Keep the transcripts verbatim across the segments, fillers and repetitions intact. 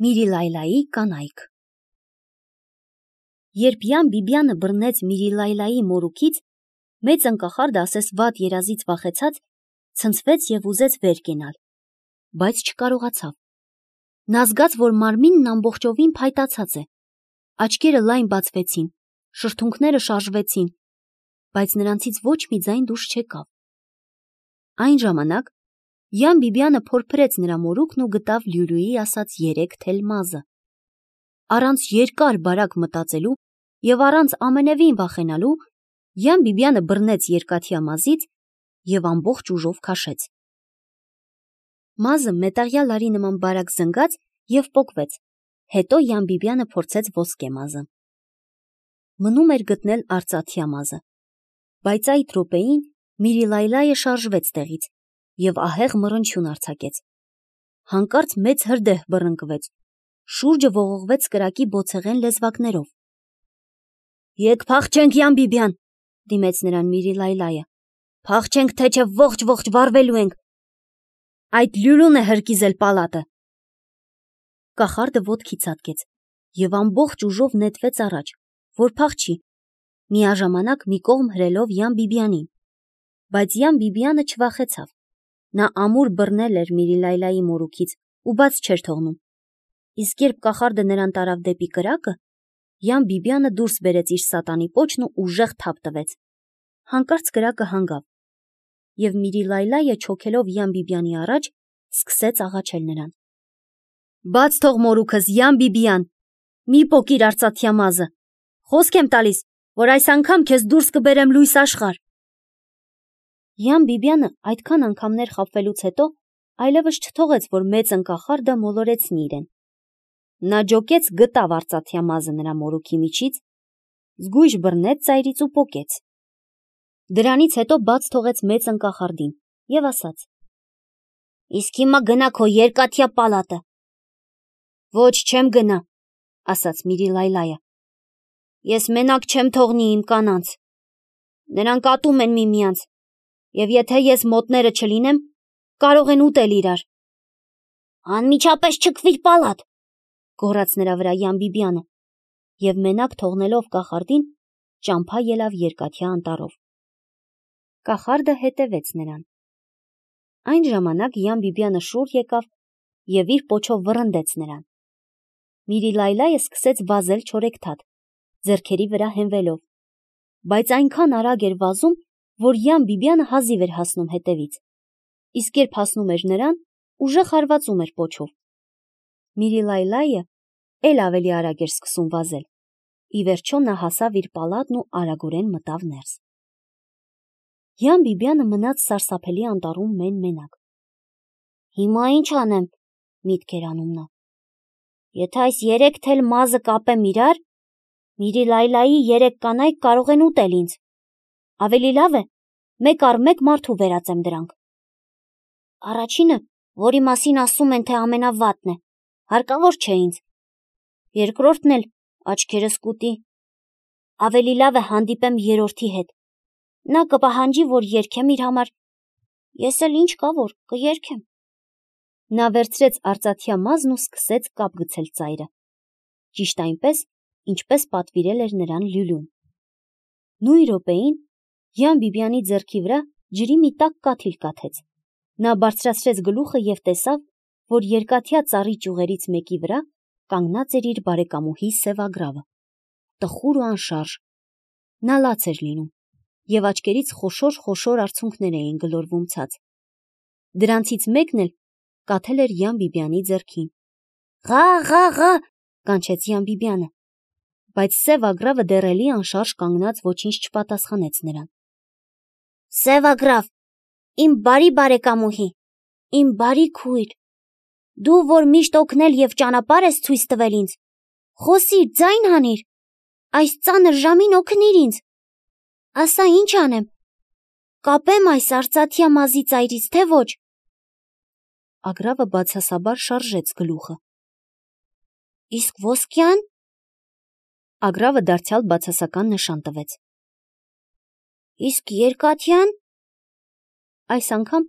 Միրիլայլայի կանայք։ Երբ Յան Բիբյանը բռնեց Միրիլայլայի մորուքից, մեծ ընկախարդը ասես վատ երազից վախեցած, ցնցվեց և ուզեց վեր կենալ, բայց չկարողացավ։ Նա զգաց, որ մարմինն ամբողջովին փայտացած է, աչքերը լայն բացվեցին, շրթունքները շարժվեցին, բայց նրանցից ոչ մի ձայն դուրս չեկավ։ Այն ժամանակ Յան Բիբյանը փորփրեց նրա մորուքն ու գտավ Լյուլյուի ասած երեք թել մազը։ Առանց երկար բարակ մտածելու և առանց ամենևին վախենալու, Յան Բիբյանը բռնեց երկաթյա մազից և ամբողջ ուժով քաշեց։ Մազը մետաղյա լարի նման բարակ զնգաց և պոկվեց, հետո Յան Բիբյանը փորձեց ոսկե մազը։ Մնում էր գտնել արծաթյա մազը, բայց այդ րոպեին Միրիլայլայը շարժվեց տեղից և ահեղ մռնչյուն արձակեց։ Հանկարծ մեծ հրդեհ բռնկվեց, շուրջը ողողվեց կրակի բոցեղեն լեզվակներով։ «Եկ փախչենք, Յան Բիբյան», դիմեց նրան Միրիլայլայը, «փախչենք, թե չէ ողջ-ողջ վառվելու ենք։ Այդ Լյուլուն է հրկիզել պալատը»։ Կախարդը ոտքի ցատկեց և ամբողջ ուժով նետվեց առաջ, որ փախչի, միաժամանակ մի կողմ հրելով Յան Բիբյանին, բայց Յան Բիբյանը չվախեցավ։ Նա ամուր բռնել էր Միրիլայլայի մորուքից ու բաց չէր թողնում, իսկ երբ կախարդը նրան տարավ դեպի կրակը, Յան Բիբյանը դուրս բերեց իր սատանի պոչն ու ուժեղ թափ տվեց։ Հանկարծ կրակը հանգավ, և Միրիլայլայը չոքելով Յան Բիբյանի առաջ, սկսեց աղաչել նրան. «Բաց թող մորուքս, Յան Բիբյան, մի պոկիր արծաթյա մազը, խոսք եմ տալիս, որ այս անգամ քեզ դուրս կբերեմ լույս աշխարհ»։ Յան Բիբյանը այդքան անգամներ խաբվելուց հետո այլևս չթողեց, որ մեծ ընկախարդը մոլորեցնի իրեն։ Նա ջոկեց, գտավ արծաթյա մազը նրա մորուքի միջից, զգույշ բռնեց ծայրից ու պոկեց։ Դրանից հետո բաց թողեց մեծ ընկախարդին և ասաց. «Իսկ հիմա գնա քո երկաթյա պալատը»։ «Ոչ, չեմ գնա», ասաց Միրիլայլայը։ «Ես մենակ չեմ թողնի իմ կանանց։ Նրանք ատում են միմյանց, և եթե ես մոտները չլինեմ, կարող են ուտել իրար»։ «Անմիջապես չքվիր պալատ», գոռաց նրա վրա Յան Բիբյանը, և մենակ թողնելով կախարդին, ճամփա ելավ երկաթյա անտառով։ Կախարդը հետևեց նրան։ Այն ժամանակ Յան Բիբյանը շուռ եկավ և իր պոչով վռնդեց նրան։ Միրիլայլայը սկսեց վազել չորեքթաթ, ձեռքերի վրա հենվելով, բայց այնքան արագ էր վազում, որ Յան Բիբյանը հազիվ էր հասնում հետևից, իսկ երբ հասնում էր նրան, ուժեղ հարվածում էր պոչով։ Միրիլայլայը էլ ավելի արագ էր սկսում վազել, ի վերջո նա հասավ իր պալատն ու արագորեն մտավ ներս։ Յան Բիբյանը մնաց սարսափելի անտառում մեն-մենակ։ «Հիմա ինչ անեմ», միտք էր անում նա։ «Եթե այս երեք թել մազը կապեմ իրար, Միրիլայլայի երեք կանայք կարող են ուտել ինձ։ Ավելի լավ է մեկ առ մեկ մարդու վերածեմ դրանք։ Առաջինը, որի մասին ասում են, թե ամենավատն է, հարկավոր չէ ինձ։ Երկրորդն էլ աչքերս կուտի։ Ավելի լավ է հանդիպեմ երրորդի հետ։ Նա կպահանջի, որ երգեմ իր համար, ես էլ ինչ կա որ կերգեմ»։ Նա վերցրեց արծաթյա մազն ու սկսեց կապ գցել ծայրը, ճիշտ այնպես, ինչպես պատվիրել էր նրան Լյուլուն։ Նույն րոպեին Յան Բիբյանի ձեռքի վրա ջրի մի տաք կաթիլ կաթեց։ Նա բարձրացրեց գլուխը և տեսավ, որ երկաթյա ծառի ճյուղերից մեկի վրա կանգնած էր իր բարեկամուհի սևագրավը, տխուր ու անշարժ։ Նա լաց էր լինում, և աչքերից խոշոր-խոշոր արցունքներ էին գլորվում ցած։ Դրանցից մեկն էլ կաթել էր Յան Բիբյանի ձեռքին։ «Ղա՜, կանչեց Յան Բիբյանը, բայց սևագրավը դեռ էլի անշարժ կանգնած ոչինչ չպատասխանեց նրան։ «Սևագրավ, իմ բարի բարեկամուհի, իմ բարի քույր, դու, որ միշտ օգնել և ճանապարհ ես ցույց տվել ինձ, խոսիր, ձայն հանիր, այս ծանր ժամին օգնիր ինձ։ Ասա, ինչ անեմ, կապե՞մ այս արծաթյա մազի ծայրից, թե ոչ»։ Ագրավը բացասաբար շարժեց գլուխը։ «Իսկ ոսկյա՞ն»։ Ագրավը դարձյալ բացասական նշան տվեց։ «Իսկ երկաթյա՞ն»։ Այս անգամ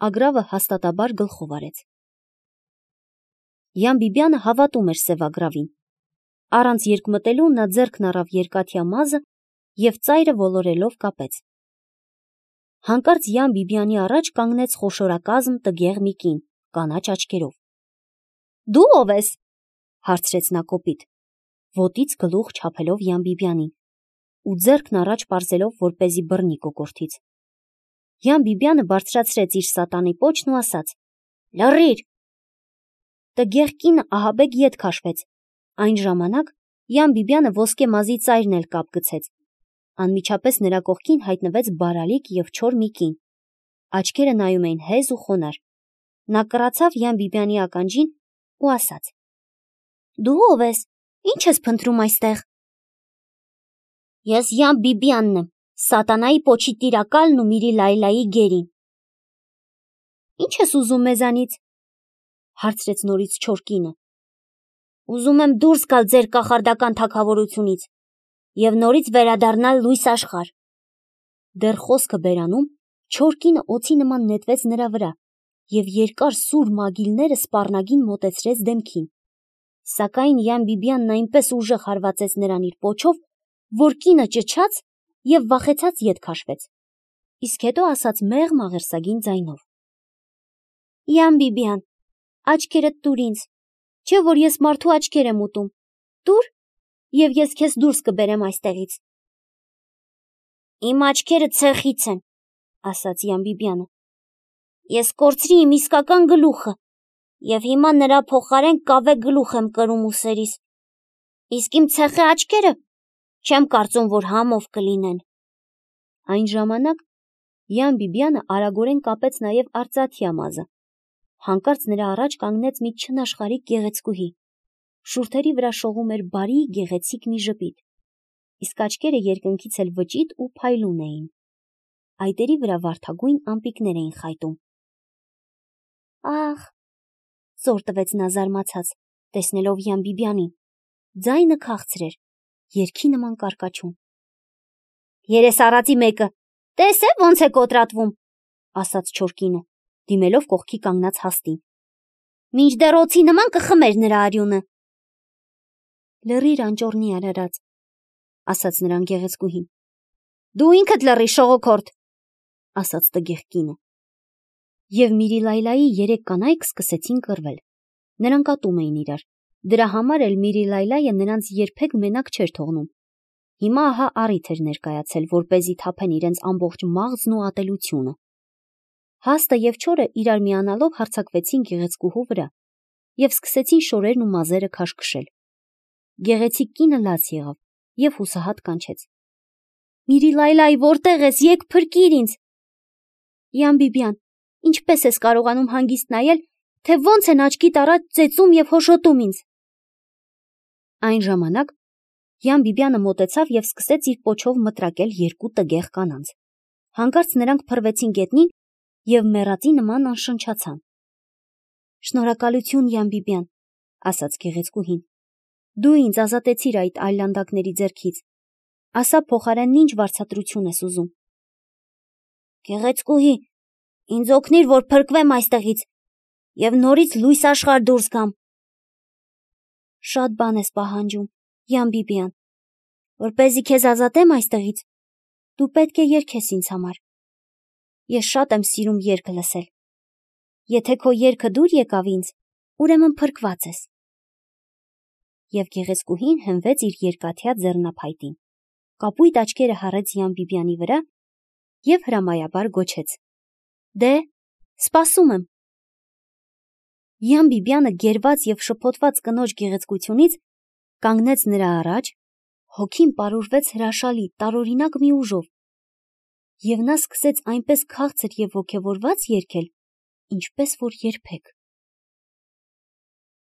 Ագրավը հաստատաբար գլխով արեց։ Յան Բիբյանը հավատում էր սևագրավին։ Առանց երկմտելու նա ձեռքն առավ երկաթյա մազը և ծայրը ոլորելով կապեց։ Հանկարծ Յան Բիբյանի առաջ կանգնեց խոշորակազմ տգեղ մի կին, կանաչ աչքերով։ Դու ով ես, հարցրեց նա կոպիտ, ոտից գլուխ չափելով Յան Բիբյանին ու ձեռքն առաջ պարզելով, որպեսզի բռնի կոկորդից։ Յան Բիբյանը բարձրացրեց իր սատանի պոչն ու ասաց. Լռիր։ Տգեղ կինը ահաբեկ ետ քաշվեց։ Այն ժամանակ Յան Բիբյանը ոսկե մազի ծայրն էլ կապ գցեց։ Անմիջապես նրա կողքին հայտնվեց բարալիկ և չոր մի կին։ Աչքերը նայում էին հեզ ու խոնարհ։ Նա կռացավ Յան Բիբյանի ականջին ու ասաց. Դու ով ես, ինչ ես փնտրում այստեղ։ Ես Յան Բիբյանն եմ, սատանայի պոչի տիրակալն ու Միրի Լայլայի գերին։ Ինչ ես ուզում մեզանից, հարցրեց նորից չոր կինը։ Ուզում եմ դուրս գալ ձեր կախարդական թագավորությունից և նորից վերադառնալ լույս աշխարհ։ Դեռ խոսքը բերանում, չոր կինը օձի նման նետվեց նրա վրա և երկար սուր մագիլները սպառնագին մոտեցրեց դեմքին։ Սակայն Յան Բիբյանն այնպես ուժեղ հարվածեց նրան իր պոչով, որ կինը ճչաց և վախեցած ետ քաշվեց, իսկ հետո ասաց մեղմ աղերսագին ձայնով. Յան Բիբյան, աչքերդ տուր ինձ, չէ որ ես մարդու աչքեր եմ ուտում, տուր, և ես քեզ դուրս կբերեմ այստեղից։ Իմ աչքերը ցեխից են, ասաց Յան Բիբյանը։ Ես կորցրի իմ իսկական գլուխը և հիմա նրա փոխարեն կավե գլուխ եմ կրում ուսերիս, իսկ իմ ցեխե աչքերը չեմ կարծում, որ համով կլինեն։ Այն ժամանակ Յան Բիբյանը արագորեն կապեց նաև արծաթյա մազը։ Հանկարծ նրա առաջ կանգնեց մի չնաշխարհիկ գեղեցկուհի։ Շուրթերի վրա շողում էր բարի գեղեցիկ մի ժպիտ, իսկ աչքերը երկնքից էլ վճիտ ու փայլուն էին։ Այտերի վրա վարդագույն ամպիկներ էին խայտում։ Ախ, զոր տվեց նա զարմացած, տեսնելով Յան Բիբյանին, ձայնը քաղցր էր, երգի նման կարկաչում։ Երես առածի մեկը, տես է ոնց է կոտրատվում, ասաց չոր կինը, դիմելով կողքի կանգնած հաստին։ Մինչդեռ օձի նման կխմեր նրա արյունը։ Լռիր անճոռնի արարած, ասաց նրան գեղեցկուհին։ Դու ինքդ լռի շողոքորթ, ասաց տգեղ կինը։ Եվ Միրի Լայլայի երեք կանայք սկսեցին կռվել։ Նրանք ատում էին իրար։ Դրա համար էլ Միրի Լայլայը նրանց երբեք մենակ չէր թողնում։ Հիմա ահա առիթ էր ներկայացել, որպեսզի թափեն իրենց ամբողջ մաղձն ու ատելությունը։ Հաստը և չորը իրար միանալով հարձակվեցին գեղեցկուհու վրա և սկսեցին շորերն ու մազերը քաշքշել։ Գեղեցիկ կինը լաց եղավ և հուսահատ կանչեց. Միրի Լայլայ, որտեղ ես, եկ փրկիր ինձ։ Յան Բիբյան, ինչպես ես կարողանում հանգիստ նայել, թե ոնց են աչքիդ առաջ ծեծում և հոշոտում ինձ։ Այն ժամանակ Յան Բիբյանը մոտեցավ և սկսեց իր պոչով մտրակել երկու տգեղ կանանց։ Հանկարծ նրանք փռվեցին գետնին և մեռածի նման անշնչացան։ Շնորհակալություն, Յան Բիբյան, ասաց գեղեցկուհին։ Դու ինձ ազատեցիր այդ այլանդակների ձեռքից։ Ասա փոխարենն ինչ վարձատրություն ես ուզում։ Գեղեցկուհի, ինձ օգնիր, որ փրկվեմ այստեղից և նորից լույս աշխարհ դուրս գամ։ Շատ բան ես պահանջում, Յան Բիբյան, որպեսզի քեզ ազատեմ այստեղից, դու պետք է երգես ինձ համար։ Ես շատ եմ սիրում երգ լսել։ Եթե քո երգը դուր եկավ ինձ, ուրեմն փրկված ես։ Եվ գեղեցկուհին հենվեց իր երկաթյա ձեռնափայտին, կապույտ աչքերը հառեց Յան Բիբյանի վրա և հրամայաբար գոչեց. Դե, սպասում եմ։ Յան Բիբյանը գերված և շփոթված կնոջ գեղեցկությունից կանգնեց նրա առաջ, հոգին պարուրվեց հրաշալի, տարօրինակ մի ուժով, և նա սկսեց այնպես քաղցր և ոգևորված երգել, ինչպես որ երբեք։